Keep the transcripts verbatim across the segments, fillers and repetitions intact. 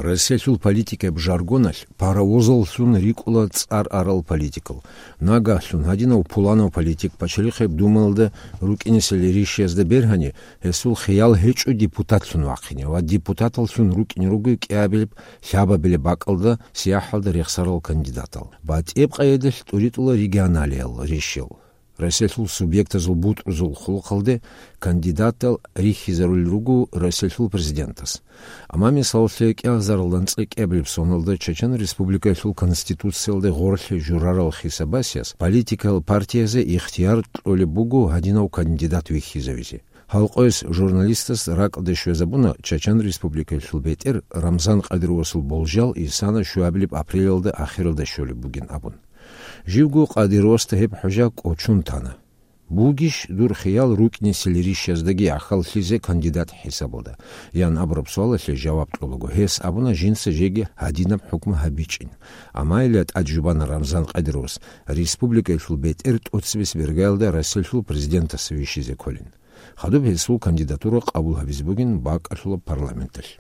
Россиялъул политикаб жаргоналъ паровозаллъун рикӀкӀуна цӀар арал политикал. Нагагьлъун гьадинав пуланав политик пачалихъеб думаялда рукӀинесел ришиязда бергьани, гьесул хиял гьечӀо депутатлъун вахъине ва депутаталлъун рукӀине руго кӀиабилеб, лъабабилеб бакӀалда сияхӀалда рехсарал кандидатал. БатӀияб къайдалъ тӀуритӀула регионалиял ришиял. Россиялъул субъектазул бутӀрузул хъулухъалде кандидатал рихьизарулел руго Россиялъул президентас. Амма, мисалалъе, кӀиазаралда анцӀила кӀиабилеб соналда Чечен Республикаялъул Конституциялде гъорлъе журарал хисабасияс политикал партиязе ихтияр кьолеб буго гьадинав кандидат вихьизавизе. Гьалкъойс журналистас ракӀалде щвезабуна Чечен Республикаялъул бетӀер Рамзан Кадыровасул болжал исана щуабилеб апрелалда ахиралда щолеб бугин абун. Живго Кадыровасда гьеб хӀужа кӀочон тана. «Бугищ дур хиял рукӀинесел ришияздаги гӀахьаллъизе кандидат хӀисабалда?» – ян абураб суалалъе жаваб кьолаго, гьес абуна жинца жеги гьадинаб хӀукму гьабичӀин. Амма илла тӀад жубана Рамзан Кадыровас республикаялъул бетӀер тӀоцебесеб иргаялда Россиялъул президентас вищизе кколин. Хадуб гьесул кандидатура къабул гьабизе бугин бакӀалъулаб парламенталъ.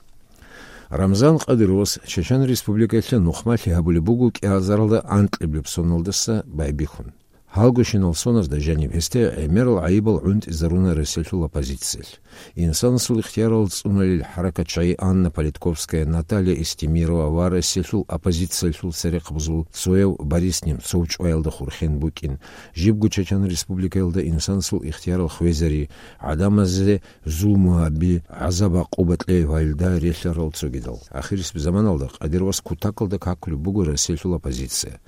Рамзан Кадыровас Чечен Республикаялъе нухмалъи гьабулеб буго кӀиазаралда анкьиблеб соналдаса байбихьун. Гьалгощинал соназда жаниб гьесде гӀемерал гӀайибал гӀунтӀизаруна Россиялъул оппозициялъ. Инсанасул ихтиярал цӀуналел хӀаракатчагӀи Анна Политковская, Наталья Эстемирова ва Россиялъул оппозициялъул церехъабазул цояв Борис Немцов чӀваялда хурхен букӀин, жибго Чечен Республикаялда инсанасул ихтиярал хвезари, гӀадамазе зулму гьаби, гӀазаб-гӀакъуба кьей ва гьелда релълъарал цогидал. Ахирисеб заманалда Кадыровас кутакалда какулеб буго Россиялъул оппозиция.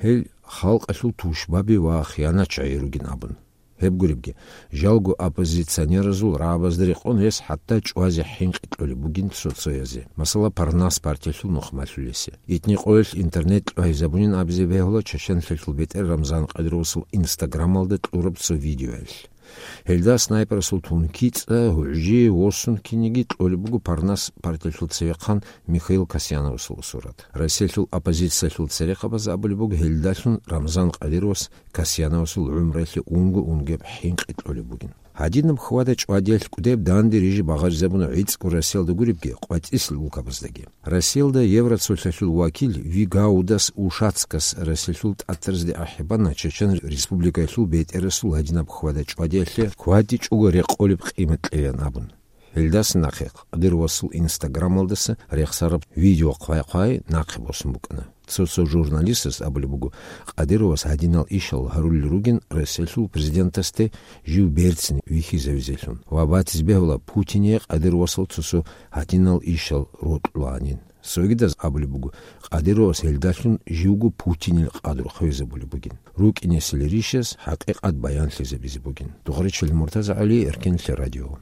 Гьел халкъалъул тушбаби ва хиянатчагӀи ругин абун. Гьеб гуребги, жалго оппозиционеразул рагӀабазда рекъон гьес хӀатта чӀвазе хӀинкъи кьолеб бугин цо-цоязе. Масала, Парнас партиялъул нухмалъулесе. Итни къоялъ интернет кьвагьизабунин абизе бегьула Чеченлъиялъул бетӀер Рамзан Кадыровасул Инстаграмалда кьураб цо видеоялъ. Гьелда снайперасул тункицӀа, гьугӀжи, восун киниги кьолеб буго Парнас партиялъул цевехъан Михаил Касьяновасул сурат. Россиялъул оппозициялъул церехъабаз абулеб буго гьелдалъун Рамзан Кадыровас Касьяновасул гӀумруялъе унго-унгеб хӀинкъи кьолеб бугин. Гьадинаб хьвада-чӀвадиялъ кӀудеб данде рижи багъаризабуна гӀицӀго Россиялда гуребги, къватӀисел улкабаздаги. Россиялда Евроцолъалъул вакил Вигаудас Ушацкас Россиялъул тӀатаразде ахӀи бана Чечен Республикаялъул бетӀерасул гьадинаб хьвада-чӀвадиялъе кватӀичӀого рекъолеб къимат кьеян абун. Гьелдаса нахъе Кадыровасул Инстаграмалдаса рехсараб видео хъвай-хъвай нахъе босун букӀана. Цо-цо журналистас абулеб буго, Кадыровас гьадинал ишал гьарулел ругин Россиялъул президентасде жив берцин вихьизавизелъун ва батизе бегьула Путине Кадыровасул цо-цо гьадинал ишал рокьулаанин. Цогидаз абулеб буго, Кадыровас гьелдалъун живго Путинил къадру хвезабулеб бугин. РукӀинесел ришас хӀакъикъат баянлъизабизе бугин. Дугъричил МуртазагӀали, Эркенлъи радио.